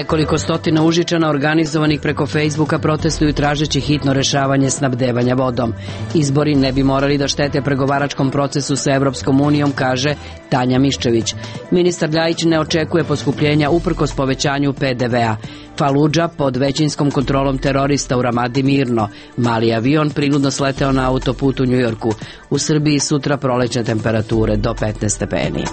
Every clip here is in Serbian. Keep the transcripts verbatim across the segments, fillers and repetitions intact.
Nekoliko stotina Užičana organizovanih preko Facebooka protestuju tražeći hitno rešavanje snabdevanja vodom. Izbori ne bi morali da štete pregovaračkom procesu sa Evropskom unijom, kaže Tanja Miščević. Ministar Ljajić ne očekuje poskupljenja uprkos povećanju pe de vea. Faludža pod većinskom kontrolom terorista u Ramadi mirno. Mali avion prinudno sleteo na autoput u Njujorku. U Srbiji sutra prolećne temperature do petnaest stepeni.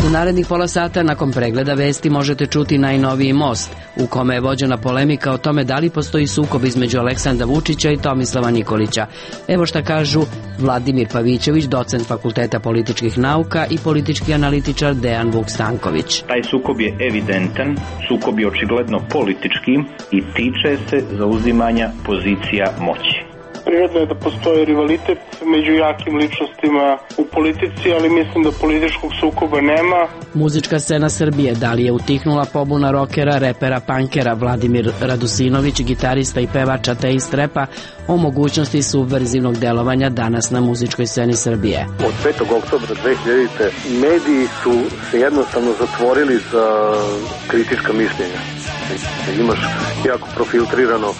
U narednih pola sata nakon pregleda vesti možete čuti najnoviji Most, u kome je vođena polemika o tome da li postoji sukob između Aleksandra Vučića i Tomislava Nikolića. Evo šta kažu Vladimir Pavićević, docent Fakulteta političkih nauka i politički analitičar Dejan Vuk Stanković. Taj sukob je evidentan, sukob je očigledno politički i tiče se zauzimanja pozicija moći. Prirodno je da postoji rivalitet među jakim ličnostima u politici, ali mislim da političkog sukoba nema. Muzička scena Srbije, da li je utihnula pobuna rokera, repera, punkera? Vladimir Radusinović, gitarista i pevač ateist repa, o mogućnosti subverzivnog delovanja danas na muzičkoj sceni Srbije. Od petog oktobra dve hiljadite. mediji su se jednostavno zatvorili za kritička mišljenja. Imaš jako profiltrirano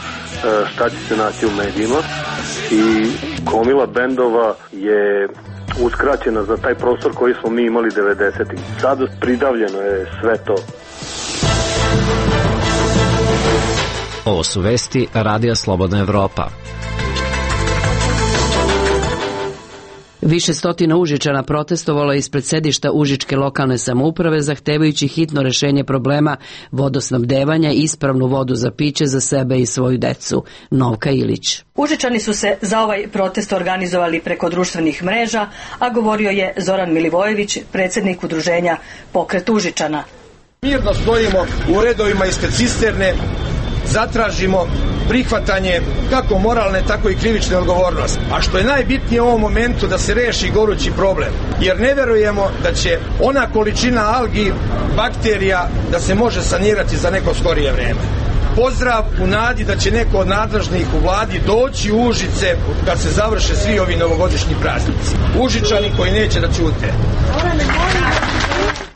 šta će se naći u medijima i gomila bendova je uskraćena za taj prostor koji smo mi imali devedesetih. Sad pridavljeno je sve to. Ovo su vesti Radija Slobodna Evropa. Više stotina Užičana protestovalo je ispred sedišta Užičke lokalne samouprave zahtevajući hitno rešenje problema vodosnabdevanja i ispravnu vodu za piće za sebe i svoju decu. Novka Ilić. Užičani su se za ovaj protest organizovali preko društvenih mreža, a govorio je Zoran Milivojević, predsjednik udruženja Pokret Užičana. Mirno stojimo u redovima ispred cisterne, zatražimo prihvatanje kako moralne, tako i krivične odgovornosti. A što je najbitnije u ovom momentu da se reši gorući problem. Jer ne verujemo da će ona količina algi, bakterija, da se može sanirati za neko skorije vreme. Pozdrav u nadi da će neko od nadležnih u vladi doći u Užice kad se završe svi ovi novogodišnji praznici. Užičani koji neće da ćute.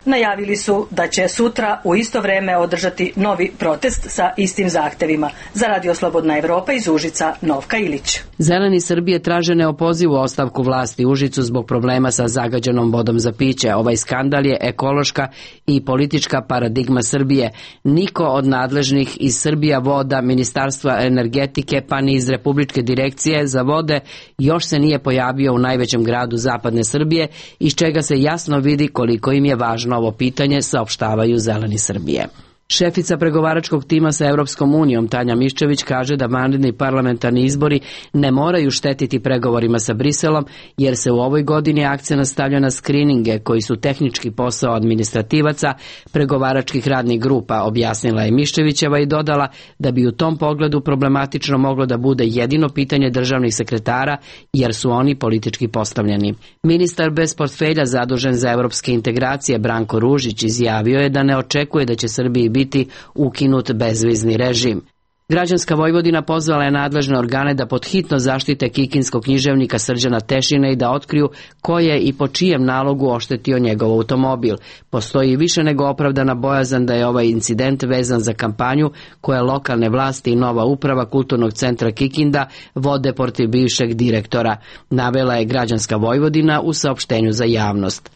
Najavili su da će sutra u isto vreme održati novi protest sa istim zahtevima. Za Radio Slobodna Evropa iz Užica, Novka Ilić. Zeleni Srbije traže neopozivu ostavku vlasti Užicu zbog problema sa zagađenom vodom za piće. Ovaj skandal je ekološka i politička paradigma Srbije. Niko od nadležnih iz Srbija voda, Ministarstva energetike pa ni iz Republičke direkcije za vode još se nije pojavio u najvećem gradu zapadne Srbije, iz čega se jasno vidi koliko im je važno ovo pitanje, saopštavaju Zeleni Srbije. Šefica pregovaračkog tima sa Evropskom unijom Tanja Miščević kaže da vanredni parlamentarni izbori ne moraju štetiti pregovorima sa Briselom, jer se u ovoj godini akcenat stavlja na skrininge koji su tehnički posao administrativaca pregovaračkih radnih grupa, objasnila je Miščevićeva i dodala da bi u tom pogledu problematično moglo da bude jedino pitanje državnih sekretara, jer su oni politički postavljeni. Ministar bez portfelja zadužen za evropske integracije Branko Ružić izjavio je da ne očekuje da će Srbiji biti biti ukinut bezvizni režim. Građanska Vojvodina pozvala je nadležne organe da podhitno zaštite kikinskog književnika Srđana Tešina i da otkriju ko je i po čijem nalogu oštetio njegov automobil. Postoji više nego opravdana bojazan da je ovaj incident vezan za kampanju koje lokalne vlasti i nova uprava Kulturnog centra Kikinda vode protiv bivšeg direktora, navela je Građanska Vojvodina u saopštenju za javnost.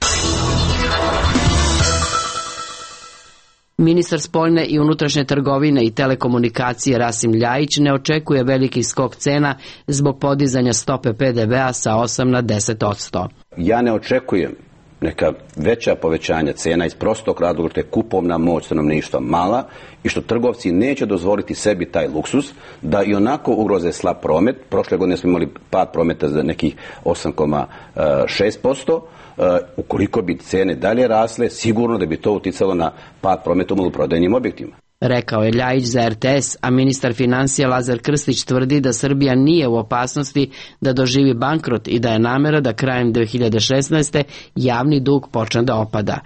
Ministar spoljne i unutrašnje trgovine i telekomunikacije Rasim Ljajić ne očekuje veliki skok cena zbog podizanja stope pe de vea sa osam na deset posto. Ja ne očekujem neka veća povećanja cena iz prostog razloga što je kupovna moć stanovništva mala i što trgovci neće dozvoliti sebi taj luksus da i onako ugroze slab promet. Prošle godine smo imali pad prometa za nekih osam zarez šest posto. Uh, ukoliko bi cene dalje rasle, sigurno da bi to uticalo na pad prometa u maloprodajnim objektima. Rekao je Ljajić za er te es, a ministar financija Lazar Krstić tvrdi da Srbija nije u opasnosti da doživi bankrot i da je namera da krajem dve hiljade šesnaeste. javni dug počne da opada.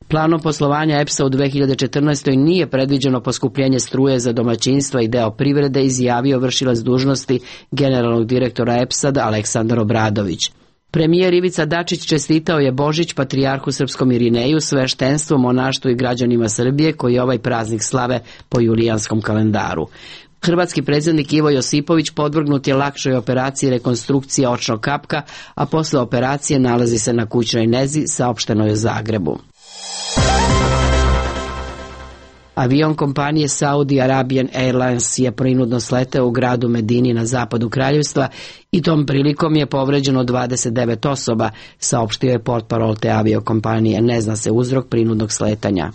Planom poslovanja E P S A u dve hiljade četrnaestoj. nije predviđeno poskupljenje struje za domaćinstva i deo privrede, izjavio vršilac dužnosti generalnog direktora E P S A Aleksandar Obradović. Premijer Ivica Dačić čestitao je Božić patrijarhu srpskom Irineju, sveštenstvu, monaštvu i građanima Srbije koji ovaj praznik slave po julijanskom kalendaru. Hrvatski predsjednik Ivo Josipović podvrgnut je lakšoj operaciji rekonstrukcije očnog kapka, a posle operacije nalazi se na kućnoj nezi, saopšteno je u Zagrebu. Avion kompanije Saudi Arabian Airlines je prinudno sleteo u gradu Medini na zapadu kraljevstva i tom prilikom je povređeno dvadeset devet osoba, saopštio je portparol te aviokompanije. Ne zna se uzrok prinudnog sletanja.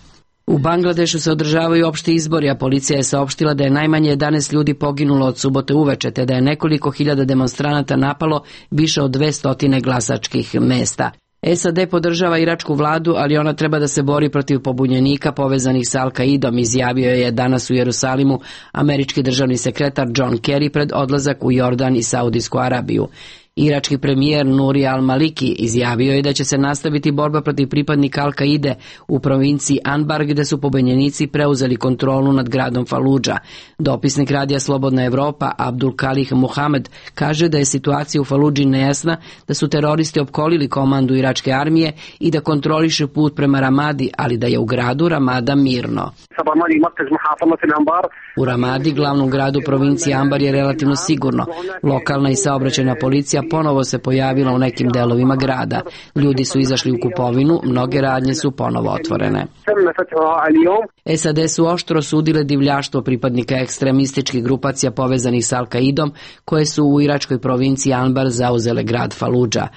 U Bangladešu se održavaju opšti izbori, a policija je saopštila da je najmanje jedanaest ljudi poginulo od subote uveče, te da je nekoliko hiljada demonstranata napalo više od dvesta glasačkih mesta. S A D podržava iračku vladu, ali ona treba da se bori protiv pobunjenika povezanih sa Al-Kaidom, izjavio je danas u Jerusalimu američki državni sekretar John Kerry pred odlazak u Jordan i Saudijsku Arabiju. Irački premijer Nuri al-Maliki izjavio je da će se nastaviti borba protiv pripadnika Al-Kaide u provinciji Anbar, gde su pobunjenici preuzeli kontrolu nad gradom Faludža. Dopisnik radija Slobodna Evropa Abdul Kalih Muhamed kaže da je situacija u Faludži nejasna, da su teroristi opkolili komandu iračke armije i da kontrolišu put prema Ramadi, ali da je u gradu Ramada mirno. U Ramadi, glavnom gradu provincije Anbar, je relativno sigurno. Lokalna i saobraćajna policija ponovo se pojavila u nekim delovima grada. Ljudi su izašli u kupovinu, mnoge radnje su ponovo otvorene. S A D su oštro osudile divljaštvo pripadnika ekstremističkih grupacija povezanih sa Al-Kaidom, koje su u iračkoj provinciji Anbar zauzele grad Faludža.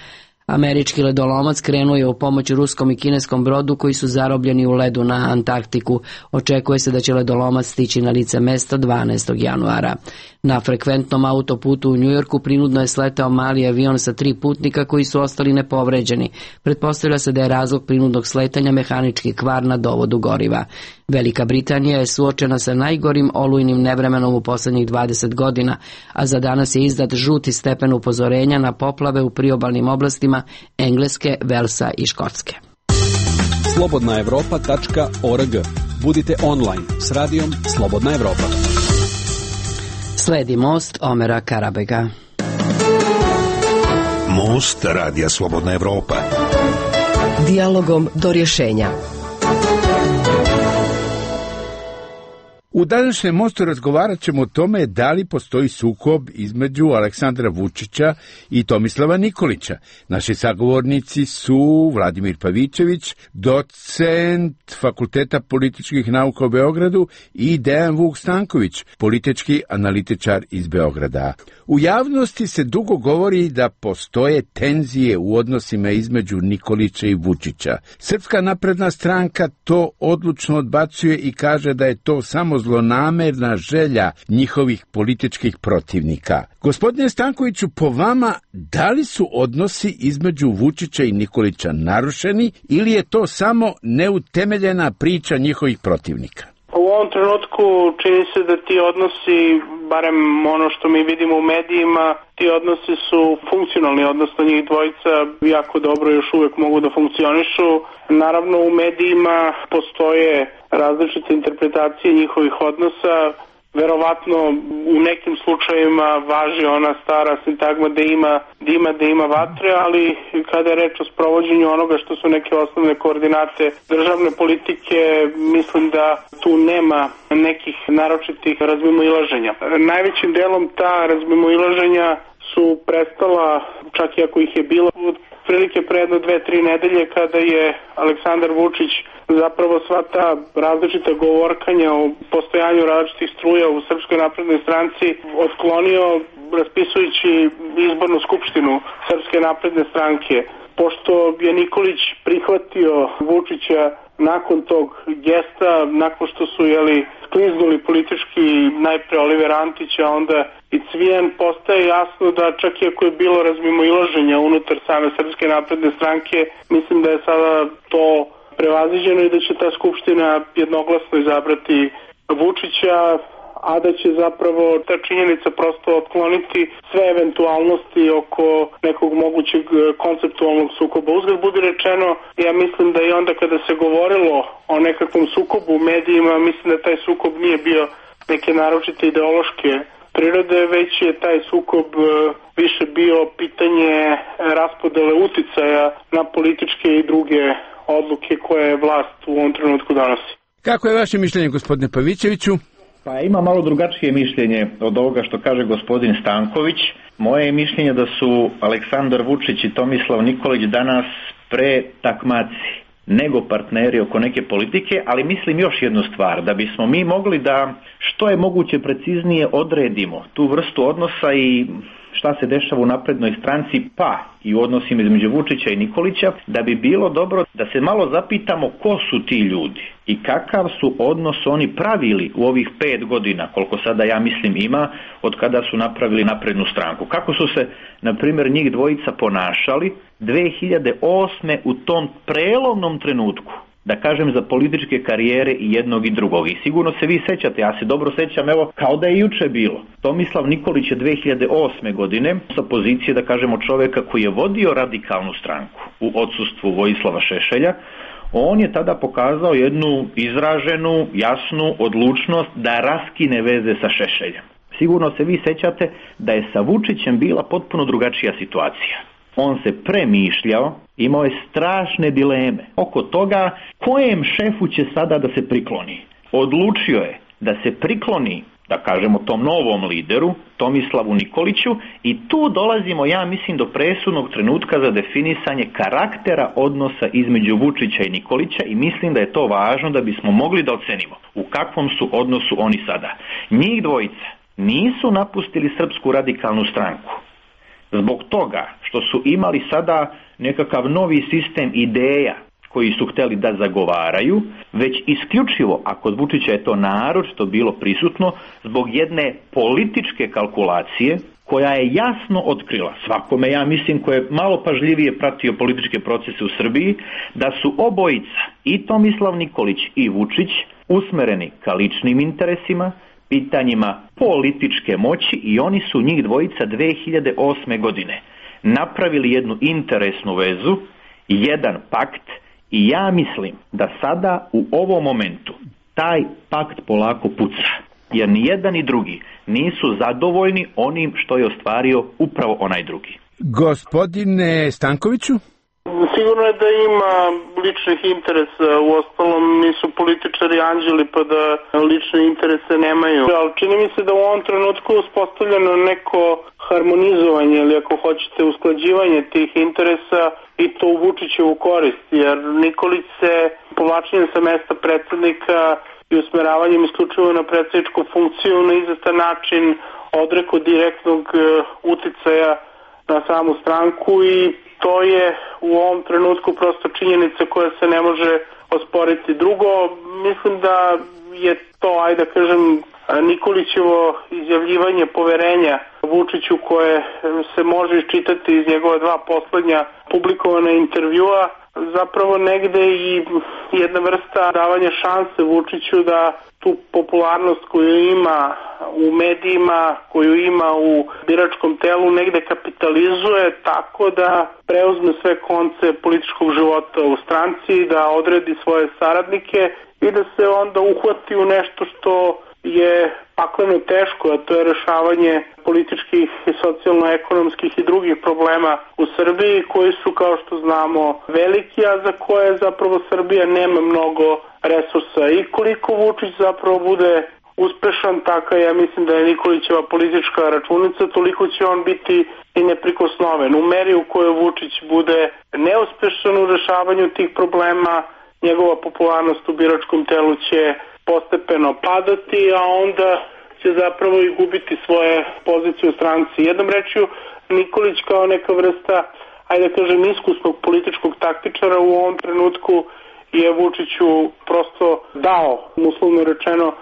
Američki ledolomac krenuo je u pomoć ruskom i kineskom brodu koji su zarobljeni u ledu na Antarktiku. Očekuje se da će ledolomac stići na lice mesta dvanaestog januara. Na frekventnom autoputu u Njujorku prinudno je sletao mali avion sa tri putnika koji su ostali nepovređeni. Pretpostavlja se da je razlog prinudnog sletanja mehanički kvar na dovodu goriva. Velika Britanija je suočena sa najgorim olujnim nevremenom u posljednjih dvadeset godina, a za danas je izdat žuti stepen upozorenja na poplave u priobalnim oblastima Engleske, Velsa i Škotske. slobodna evropa tačka org. Budite online s radijom Slobodna Evropa. Sledi Most Omera Karabega. Most radija Slobodna Evropa. Dijalogom do rješenja. U današnjem Mostu razgovarat ćemo o tome da li postoji sukob između Aleksandra Vučića i Tomislava Nikolića. Naši sagovornici su Vladimir Pavićević, docent Fakulteta političkih nauka u Beogradu, i Dejan Vuk Stanković, politički analitičar iz Beograda. U javnosti se dugo govori da postoje tenzije u odnosima između Nikolića i Vučića. Srpska napredna stranka to odlučno odbacuje i kaže da je to samo zlonamerna želja njihovih političkih protivnika. Gospodine Stankoviću, po vama, da li su odnosi između Vučića i Nikolića narušeni ili je to samo neutemeljena priča njihovih protivnika? U ovom trenutku čini se da ti odnosi, barem ono što mi vidimo u medijima, ti odnosi su funkcionalni, odnosno njih dvojica jako dobro još uvijek mogu da funkcionišu. Naravno, u medijima postoje različite interpretacije njihovih odnosa. Verovatno u nekim slučajevima važi ona stara sintagma da ima dima, da ima vatre, ali kada je reč o sprovođenju onoga što su neke osnovne koordinate državne politike, mislim da tu nema nekih naročitih razmimoilaženja. Najvećim delom ta razmimoilaženja su prestala, čak i ako ih je bilo, prilike pre jedno dve, tri nedelje kada je Aleksandar Vučić zapravo sva ta različita govorkanja o postojanju različitih struja u Srpskoj naprednoj stranci otklonio raspisujući izbornu skupštinu Srpske napredne stranke. Pošto je Nikolić prihvatio Vučića nakon tog gesta, nakon što su jeli, skliznuli politički najpre Oliver Antić, a onda i Cvijan, postaje jasno da čak i ako je bilo razmimoilaženja unutar same Srpske napredne stranke, mislim da je sada to prevaziđeno i da će ta skupština jednoglasno izabrati Vučića, a da će zapravo ta činjenica prosto otkloniti sve eventualnosti oko nekog mogućeg konceptualnog sukoba. Uzgled budi rečeno, ja mislim da i onda kada se govorilo o nekakvom sukobu u medijima, mislim da taj sukob nije bio neke naročite ideološke prirode, već je taj sukob više bio pitanje raspodele uticaja na političke i druge odluke koje vlast u ovom trenutku donosi. Kako je vaše mišljenje, gospodine Pavićeviću? Pa ima malo drugačije mišljenje od ovoga što kaže gospodin Stanković. Moje je mišljenje da su Aleksandar Vučić i Tomislav Nikolić danas pre takmaci nego partneri oko neke politike, ali mislim još jednu stvar, da bismo mi mogli da što je moguće preciznije odredimo tu vrstu odnosa i šta se dešava u naprednoj stranci, pa i u odnosima između Vučića i Nikolića, da bi bilo dobro da se malo zapitamo ko su ti ljudi i kakav su odnos oni pravili u ovih pet godina, koliko sada ja mislim ima, od kada su napravili naprednu stranku. Kako su se, na primjer, njih dvojica ponašali dve hiljade osme u tom prelomnom trenutku, da kažem, za političke karijere i jednog i drugog. I sigurno se vi sećate, ja se dobro sećam, evo, kao da je juče bilo. Tomislav Nikolić je dve hiljade osme godine sa pozicije, da kažemo, čoveka koji je vodio radikalnu stranku u odsustvu Vojislava Šešelja, on je tada pokazao jednu izraženu, jasnu odlučnost da raskine veze sa Šešeljem. Sigurno se vi sećate da je sa Vučićem bila potpuno drugačija situacija. On se premišljao, imao je strašne dileme oko toga kojem šefu će sada da se prikloni. Odlučio je da se prikloni, da kažemo, tom novom lideru, Tomislavu Nikoliću, i tu dolazimo, ja mislim, do presudnog trenutka za definisanje karaktera odnosa između Vučića i Nikolića i mislim da je to važno da bismo mogli da ocenimo u kakvom su odnosu oni sada. Njih dvojica nisu napustili Srpsku radikalnu stranku zbog toga što su imali sada nekakav novi sistem ideja koji su hteli da zagovaraju, već isključivo, a kod Vučića je to naročito bilo prisutno, zbog jedne političke kalkulacije koja je jasno otkrila svakome, ja mislim, ko je malo pažljivije pratio političke procese u Srbiji, da su obojica, i Tomislav Nikolić i Vučić, usmereni ka ličnim interesima, pitanjima političke moći, i oni su, njih dvojica, dve hiljade osme godine napravili jednu interesnu vezu, jedan pakt, i ja mislim da sada u ovom momentu taj pakt polako puca, jer ni jedan ni drugi nisu zadovoljni onim što je ostvario upravo onaj drugi. Gospodine Stankoviću? Sigurno je da ima ličnih interesa, u ostalom nisu političari anđeli pa da lične interese nemaju. Ali čini mi se da u ovom trenutku je uspostavljeno neko harmonizovanje ili, ako hoćete, usklađivanje tih interesa, i to u Vučićevu korist, jer Nikolić se povlačenjem sa mesta predsjednika i usmeravanjem isključivo na predsjedničku funkciju na izvestan način odrekao direktnog uticaja na samu stranku, i to je u ovom trenutku prosto činjenica koja se ne može osporiti. Drugo, mislim da je to, ajde da kažem, Nikolićevo izjavljivanje poverenja Vučiću, koje se može iščitati iz njegova dva poslednja publikovana intervjua, zapravo negde i jedna vrsta davanja šanse Vučiću da tu popularnost koju ima u medijima, koju ima u biračkom telu, negde kapitalizuje tako da preuzme sve konce političkog života u stranci, da odredi svoje saradnike i da se onda uhvati u nešto što je pakleno teško, a to je rešavanje političkih i socijalno-ekonomskih i drugih problema u Srbiji, koji su, kao što znamo, veliki, a za koje zapravo Srbija nema mnogo resursa. I koliko Vučić zapravo bude uspešan, taka ja mislim da je Nikolićeva politička računica, toliko će on biti i neprikosnoven. U meri u kojoj Vučić bude neuspešan u rešavanju tih problema, njegova popularnost u biračkom telu će postepeno padati, a onda će zapravo i gubiti svoje pozicije u stranci. Jednom rečju, Nikolić kao neka vrsta, ajde da kažem, iskusnog političkog taktičara u ovom trenutku je Vučiću prosto dao, uslovno rečeno,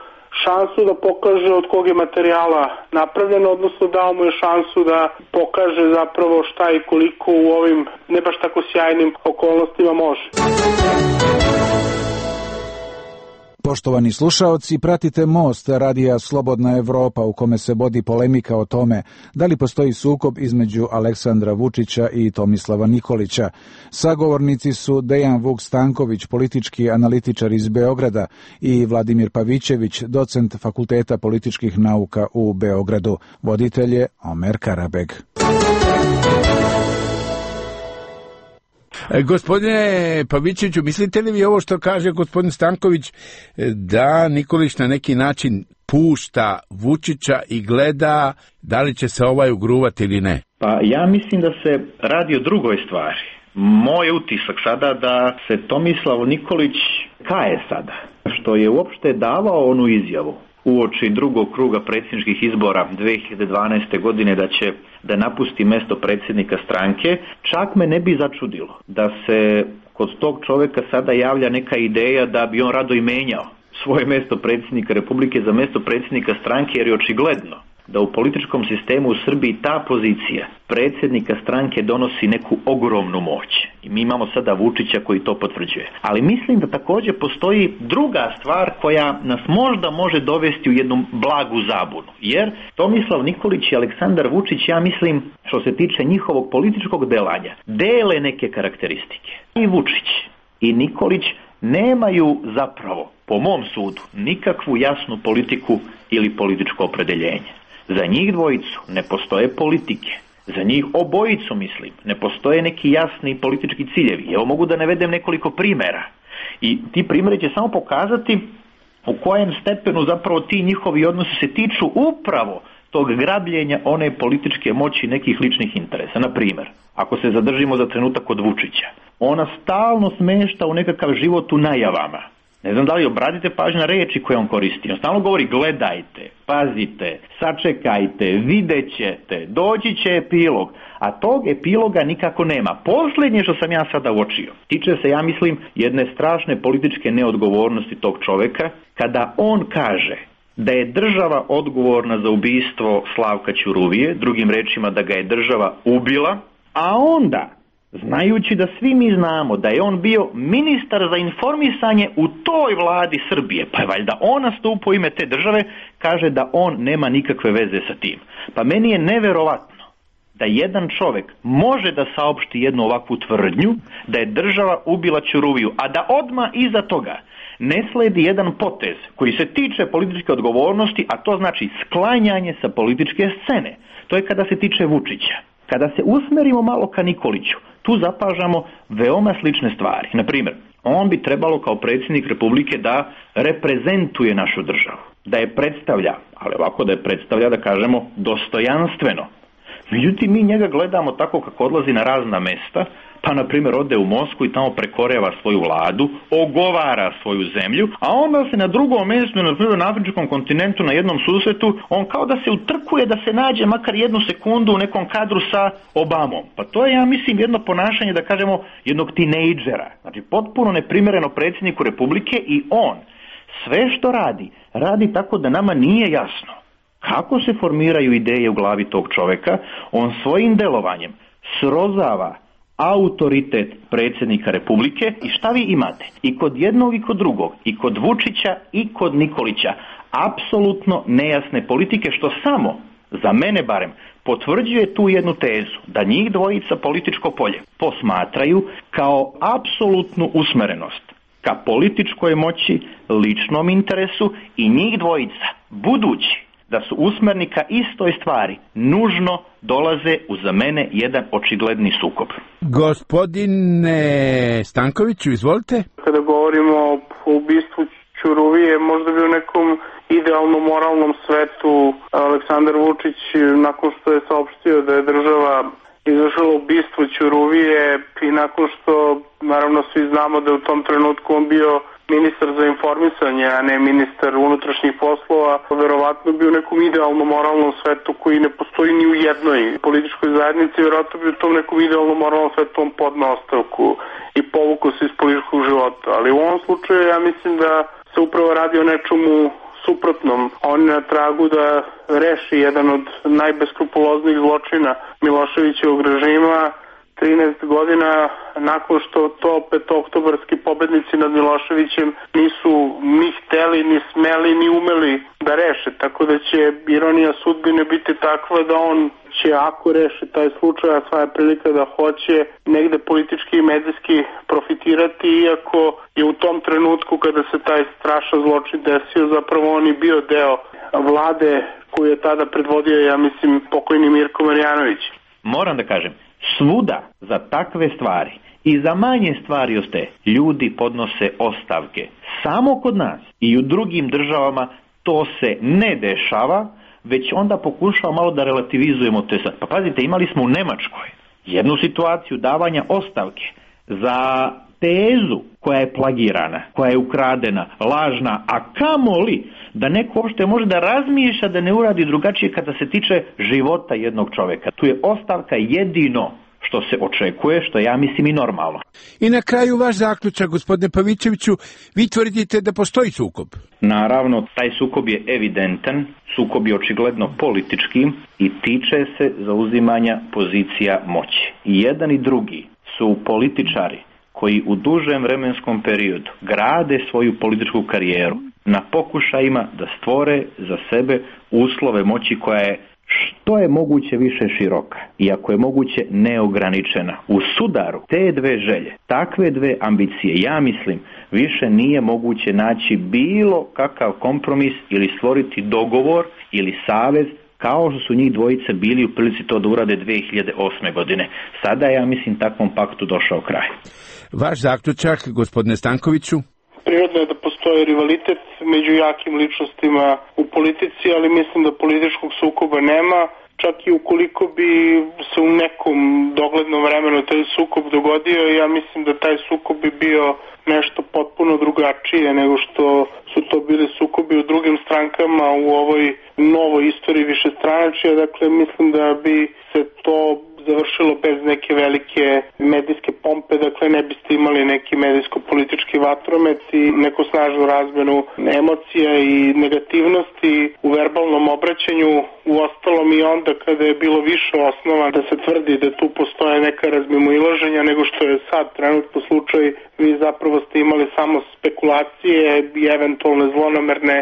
šansu da pokaže od kog je materijala napravljeno, odnosno dao mu je šansu da pokaže zapravo šta i koliko u ovim ne baš tako sjajnim okolnostima može. Poštovani slušaoci, pratite Most radija Slobodna Evropa u kome se vodi polemika o tome da li postoji sukob između Aleksandra Vučića i Tomislava Nikolića. Sagovornici su Dejan Vuk Stanković, politički analitičar iz Beograda, i Vladimir Pavićević, docent Fakulteta političkih nauka u Beogradu. Voditelj je Omer Karabeg. Gospodine Pavićeviću, mislite li vi ovo što kaže gospodin Stanković, da Nikolić na neki način pušta Vučića i gleda da li će se ovaj ugruvati ili ne? Pa ja mislim da se radi o drugoj stvari. Moj utisak sada da se Tomislav Nikolić kaje sada, što je uopšte davao onu izjavu uoči drugog kruga predsjedničkih izbora dve hiljade dvanaeste. godine da će da napusti mesto predsjednika stranke. Čak me ne bi začudilo da se kod tog čovjeka sada javlja neka ideja da bi on rado i menjao svoje mesto predsjednika Republike za mesto predsjednika stranke, jer je očigledno da u političkom sistemu u Srbiji ta pozicija predsjednika stranke donosi neku ogromnu moć. I mi imamo sada Vučića koji to potvrđuje. Ali mislim da također postoji druga stvar koja nas možda može dovesti u jednu blagu zabunu. Jer Tomislav Nikolić i Aleksandar Vučić, ja mislim, što se tiče njihovog političkog delanja, dele neke karakteristike. I Vučić i Nikolić nemaju zapravo, po mom sudu, nikakvu jasnu politiku ili političko opredeljenje. Za njih dvojicu ne postoje politike. Za njih obojicu, mislim, ne postoje neki jasni politički ciljevi. Evo, mogu da navedem nekoliko primjera. I ti primjeri će samo pokazati u kojem stepenu zapravo ti njihovi odnosi se tiču upravo tog grabljenja one političke moći nekih ličnih interesa. Na primjer, ako se zadržimo za trenutak kod Vučića, ona stalno smešta u nekakav život u najavama. Ne znam da li obratite pažnju na reči koje on koristi. On stalno govori gledajte, pazite, sačekajte, vidjet ćete, doći će epilog. A tog epiloga nikako nema. Posljednje što sam ja sada uočio tiče se, ja mislim, jedne strašne političke neodgovornosti tog čovjeka, kada on kaže da je država odgovorna za ubistvo Slavka Ćuruvije, drugim rečima da ga je država ubila, a onda, znajući da svi mi znamo da je on bio ministar za informisanje u toj vladi Srbije, pa je valjda on nastupa u ime te države, kaže da on nema nikakve veze sa tim. Pa meni je neverovatno da jedan čovjek može da saopšti jednu ovakvu tvrdnju da je država ubila Ćuruviju, a da odmah iza toga ne sledi jedan potez koji se tiče političke odgovornosti, a to znači sklanjanje sa političke scene. To je kada se tiče Vučića. Kada se usmerimo malo ka Nikoliću, tu zapažamo veoma slične stvari. Na primjer, on bi trebalo kao predsjednik Republike da reprezentuje našu državu, da je predstavlja, ali ovako da je predstavlja, da kažemo, dostojanstveno. Međutim, mi njega gledamo tako kako odlazi na razna mesta, pa na primjer ode u Moskvu i tamo prekoreva svoju vladu, ogovara svoju zemlju, a onda se na drugom mjestu, na primjer na afričkom kontinentu, na jednom susretu, on kao da se utrkuje da se nađe makar jednu sekundu u nekom kadru sa Obamom. Pa to je, ja mislim, jedno ponašanje, da kažemo, jednog tinejdžera. Znači, potpuno neprimjereno predsjedniku Republike, i on sve što radi, radi tako da nama nije jasno kako se formiraju ideje u glavi tog čovjeka. On svojim delovanjem srozava autoritet predsjednika Republike, i šta vi imate? I kod jednog i kod drugog, i kod Vučića i kod Nikolića, apsolutno nejasne politike, što samo, za mene barem, potvrđuje tu jednu tezu, da njih dvojica političko polje posmatraju kao apsolutnu usmerenost ka političkoj moći, ličnom interesu, i njih dvojica, budući da su usmereni ka istoj stvari, nužno dolaze u, za mene, jedan očigledni sukob. Gospodine Stankoviću, izvolite. Kada govorimo o ubistvu Ćuruvije, možda bi u nekom idealnom moralnom svetu Aleksandar Vučić, nakon što je saopštio da je država izvršila ubistvo Ćuruvije, i nakon što, naravno, svi znamo da je u tom trenutku on bio ministar za informisanje, a ne ministar unutrašnjih poslova, verovatno bi u nekom idealnom moralnom svetu koji ne postoji ni u jednoj političkoj zajednici, verovatno bi u tom nekom idealnom moralnom svetu on podneo ostavku i povukao se iz političkog života. Ali u ovom slučaju ja mislim da se upravo radi o nečemu suprotnom. On je na tragu da reši jedan od najbeskrupuloznijih zločina Miloševićevog režima, trinaest godina nakon što to petooktobarski pobednici nad Miloševićem nisu ni hteli, ni smeli, ni umeli da reše. Tako da će ironija sudbine biti takva da on će, ako reše taj slučaj, a sva je prilika da hoće, negde politički i medijski profitirati, iako je u tom trenutku kada se taj strašan zločin desio, zapravo on i bio deo vlade koju je tada predvodio, ja mislim, pokojni Mirko Marjanović. Moram da kažem, svuda za takve stvari i za manje stvari od te ljudi podnose ostavke. Samo kod nas i u drugim državama to se ne dešava, već onda pokušava malo da relativizujemo te sad. Pa pazite, imali smo u Nemačkoj jednu situaciju davanja ostavke za tezu koja je plagirana, koja je ukradena, lažna, a kamoli da neko uopšte može da razmišlja da ne uradi drugačije kada se tiče života jednog čoveka. Tu je ostavka jedino što se očekuje, što ja mislim i normalno. I na kraju vaš zaključak, gospodine Pavićeviću, vi tvrdite da postoji sukob. Naravno, taj sukob je evidentan, sukob je očigledno politički i tiče se zauzimanja pozicija moći. I jedan i drugi su političari koji u dužem vremenskom periodu grade svoju političku karijeru na pokušajima da stvore za sebe uslove moći koja je što je moguće više široka i ako je moguće neograničena. U sudaru te dve želje, takve dve ambicije, ja mislim, više nije moguće naći bilo kakav kompromis ili stvoriti dogovor ili savez kao što su njih dvojice bili u prilici to da urade dve hiljade osme godine. Sada je, ja mislim, takvom paktu došao kraj. Vaš zaključak, gospodine Stankoviću? Prirodno je da postoji rivalitet među jakim ličnostima u politici, ali mislim da političkog sukoba nema. Čak i ukoliko bi se u nekom doglednom vremenu taj sukob dogodio, ja mislim da taj sukob bi bio nešto potpuno drugačije nego što su to bili sukobi u drugim strankama u ovoj novoj istoriji višestranačja. Dakle, mislim da bi se to završilo bez neke velike medijske pompe, dakle ne biste imali neki medijsko-politički vatromet i neku snažnu razmenu emocija i negativnosti u verbalnom obraćanju. U ostalom i onda kada je bilo više osnova da se tvrdi da tu postoje neka razmimoilaženja nego što je sad trenutno slučaj, vi zapravo ste imali samo spekulacije i eventualne zlonamerne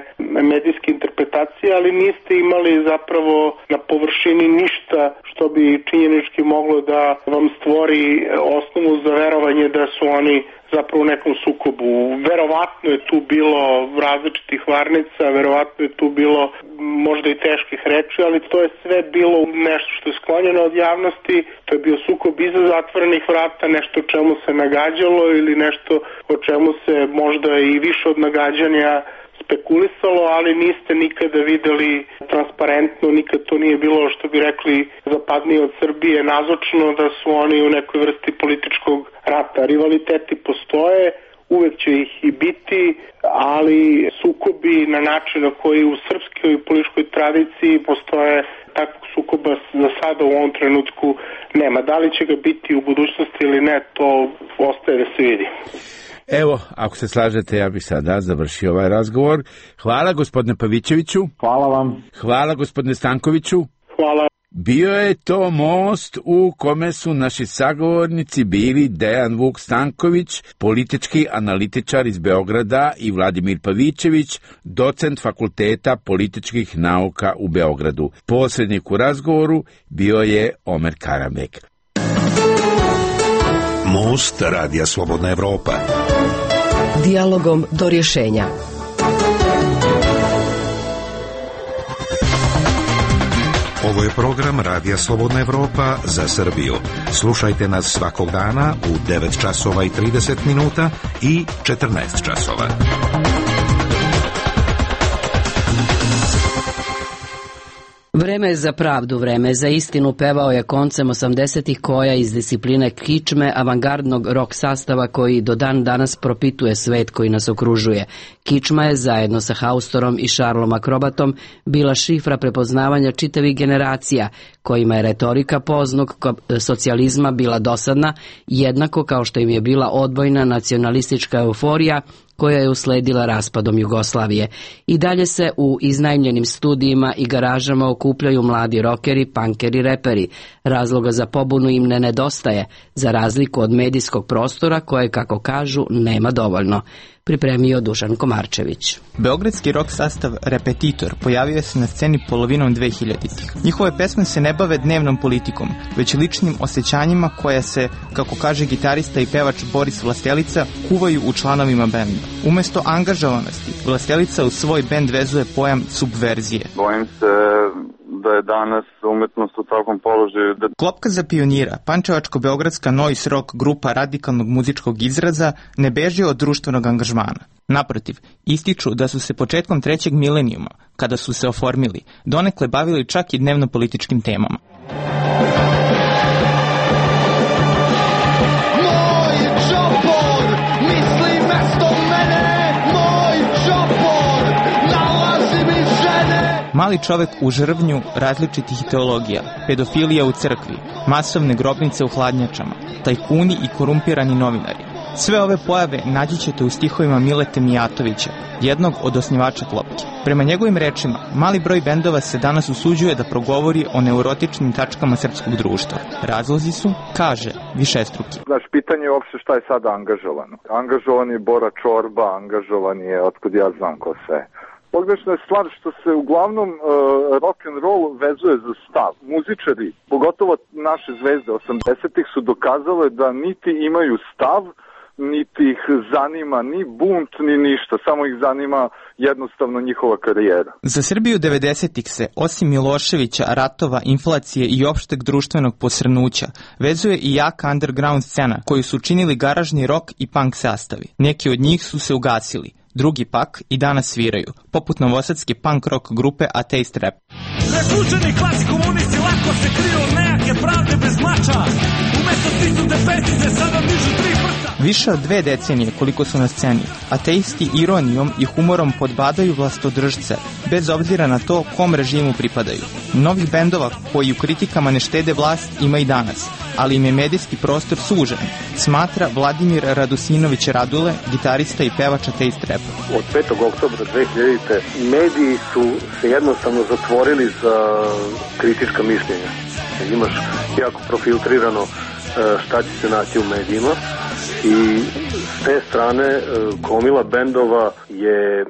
medijske interpretacije, ali niste imali zapravo na površini ništa što bi činjenički moglo da vam stvori osnovu za verovanje da su oni zapravo u nekom sukobu. Verovatno je tu bilo različitih varnica, verovatno je tu bilo možda i teških reči, ali to je sve bilo nešto što je sklonjeno od javnosti. To je bio sukob iza zatvorenih vrata, nešto o čemu se nagađalo ili nešto o čemu se možda i više od nagađanja spekulisalo, ali niste nikada videli transparentno, nikad to nije bilo, što bi rekli zapadnije od Srbije, nazočno da su oni u nekoj vrsti političkog rata. Rivaliteti postoje, uvek će ih i biti, ali sukobi na način na koji u srpskoj političkoj tradiciji postoje, takvog sukoba za sada u ovom trenutku nema. Da li će ga biti u budućnosti ili ne, to ostaje da se vidi. Evo, ako se slažete, ja bih sada završio ovaj razgovor. Hvala gospodine Pavićeviću. Hvala vam. Hvala gospodine Stankoviću. Hvala. Bio je to most u kome su naši sagovornici bili Dejan Vuk Stanković, politički analitičar iz Beograda, i Vladimir Pavićević, docent Fakulteta političkih nauka u Beogradu. Posrednik u razgovoru bio je Omer Karamek. Most Radija Slobodna Evropa. Dijalogom do rješenja. Ovo je program Radija Slobodna Evropa za Srbiju. Slušajte nas svakog dana u devet časova i trideset minuta i četrnaest časova. Vreme je za pravdu, vreme je za istinu, pevao je koncem osamdesetih koja iz discipline kičme avangardnog rock sastava koji do dan danas propituje svet koji nas okružuje. Kičma je zajedno sa Haustorom i Šarlom Akrobatom bila šifra prepoznavanja čitavih generacija, kojima je retorika poznog socijalizma bila dosadna, jednako kao što im je bila odbojna nacionalistička euforija koja je usledila raspadom Jugoslavije. I dalje se u iznajmljenim studijima i garažama okupljaju mladi rokeri, punkeri, reperi. Razloga za pobunu im ne nedostaje, za razliku od medijskog prostora koje, kako kažu, nema dovoljno. Pripremio Dušan Komarčević. Beogradski rock sastav Repetitor pojavio se na sceni polovinom dvehiljaditih. Njihove pesme se ne bave dnevnom politikom, već ličnim osjećanjima koja se, kako kaže gitarista i pevač Boris Vlastelica, kuvaju u članovima benda. Umesto angažovanosti, Vlastelica u svoj bend vezuje pojam subverzije. Bojim se da je danas umetnost u takvom položaju. Da... Klopka za pionira, pančevačko-beogradska noise rock grupa radikalnog muzičkog izraza, ne beži od društvenog angažmana. Naprotiv, ističu da su se početkom trećeg milenijuma, kada su se oformili, donekle bavili čak i dnevno-političkim temama. Mali čovek u žrvnju različitih teologija, pedofilija u crkvi, masovne grobnice u hladnjačama, tajkuni i korumpirani novinari. Sve ove pojave naći ćete u stihovima Milete Mijatovića, jednog od osnivača Klopke. Prema njegovim rečima, mali broj bendova se danas usuđuje da progovori o neurotičnim tačkama srpskog društva. Razlozi su, kaže, višestruki. Znaš, pitanje je uopšte šta je sada angažovano. Angažovan je Bora Čorba, angažovan je, otkud ja znam ko sve. Pogrešna je stvar što se uglavnom uh, rock and roll vezuje za stav. Muzičari, pogotovo naše zvezde osamdesetih su dokazale da niti imaju stav, niti ih zanima ni bunt, ni ništa. Samo ih zanima jednostavno njihova karijera. Za Srbiju devedesetih se, osim Miloševića, ratova, inflacije i opšteg društvenog posrnuća, vezuje i jaka underground scena koju su činili garažni rock i punk sastavi. Neki od njih su se ugasili. Drugi pak i danas sviraju, poput novosadske punk rock grupe Atheist Rap. Razlučeni klasi komunisti lako se kriju nejake pravde bez mača. Umesto stisnute petice sada dižu tri prsta. Više od dve decenije koliko su na sceni, ateisti ironijom i humorom podbadaju vlastodržce, bez obzira na to kom režimu pripadaju. Novih bendova koji u kritikama ne štede vlast ima i danas, ali im je medijski prostor sužen, smatra Vladimir Radosinović Radule, gitarista i pevač Atheist Rap. Od petog oktobra dve hiljadite mediji su se jednostavno zatvorili za kritička mišljenja. Imaš jako profiltrirano šta će se naći u medijima i s te strane gomila bendova je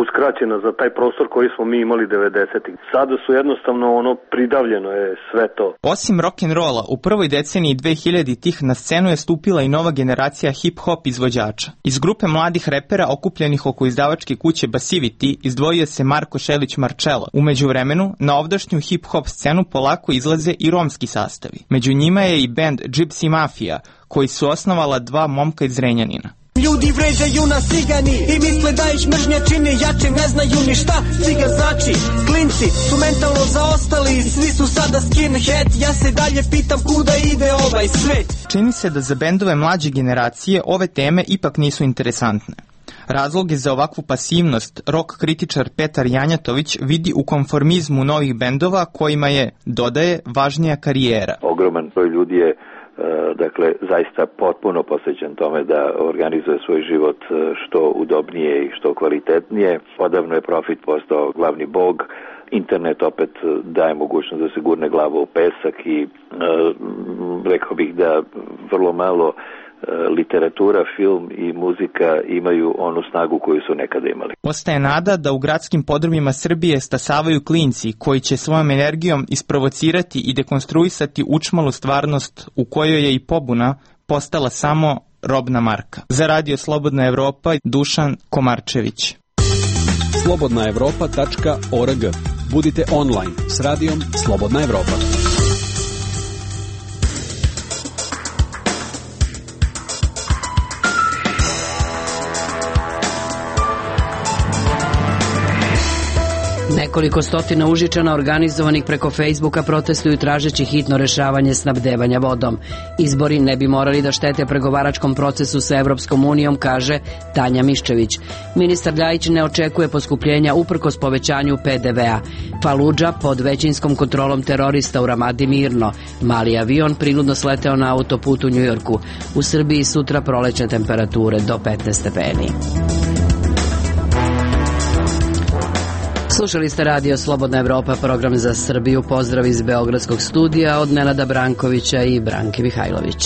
uskraćena za taj prostor koji smo mi imali devedesetih. Sada su jednostavno ono pridavljeno je sve to. Osim rock'n'rolla, u prvoj deceniji dvehiljaditih na scenu je stupila i nova generacija hip-hop izvođača. Iz grupe mladih repera okupljenih oko izdavačke kuće Basivity izdvojio se Marko Šelić Marcello. U međuvremenu, na ovdašnju hip-hop scenu polako izlaze i romski sastavi. Među njima je i band Gypsy Mafia, koji su osnovala dva momka iz Zrenjanina. Ljudi vređaju nas cigani i misle da ih mržnja čini jače, ne znaju ni šta ciga znači. Klinci su mentalno zaostali, svi su sada skinhead. Ja se dalje pitam kuda ide ovaj svet. Čini se da za bendove mlađe generacije ove teme ipak nisu interesantne. Razloge za ovakvu pasivnost rock kritičar Petar Janjatović vidi u konformizmu novih bendova kojima je, dodaje, važnija karijera. Ogroman broj ljudi je dakle zaista potpuno posvećen tome da organizuje svoj život što udobnije i što kvalitetnije. Odavno je profit postao glavni bog. Internet opet daje mogućnost da se gurne glava u pesak i e, rekao bih da vrlo malo e, literatura, film i muzika imaju onu snagu koju su nekada imali. Ostaje nada da u gradskim podrumima Srbije stasavaju klinci koji će svojom energijom isprovocirati i dekonstruisati učmalu stvarnost u kojoj je i pobuna postala samo robna marka. Za Radio Slobodna Evropa, Dušan Komarčević. slobodna evropa tačka org. Budite online s radijom Slobodna Evropa. Nekoliko stotina Užičana organizovanih preko Facebooka protestuju tražeći hitno rešavanje snabdevanja vodom. Izbori ne bi morali da štete pregovaračkom procesu sa Evropskom unijom, kaže Tanja Miščević. Ministar Ljajić ne očekuje poskupljenja uprkos povećanju pe de ve a. Faludža pod većinskom kontrolom terorista u Ramadi mirno. Mali avion prinudno sleteo na autoput u Njujorku. U Srbiji sutra prolećne temperature do petnaest stepeni. Slušali ste Radio Slobodna Evropa, program za Srbiju. Pozdrav iz Beogradskog studija od Nenada Brankovića i Branke Mihajlović.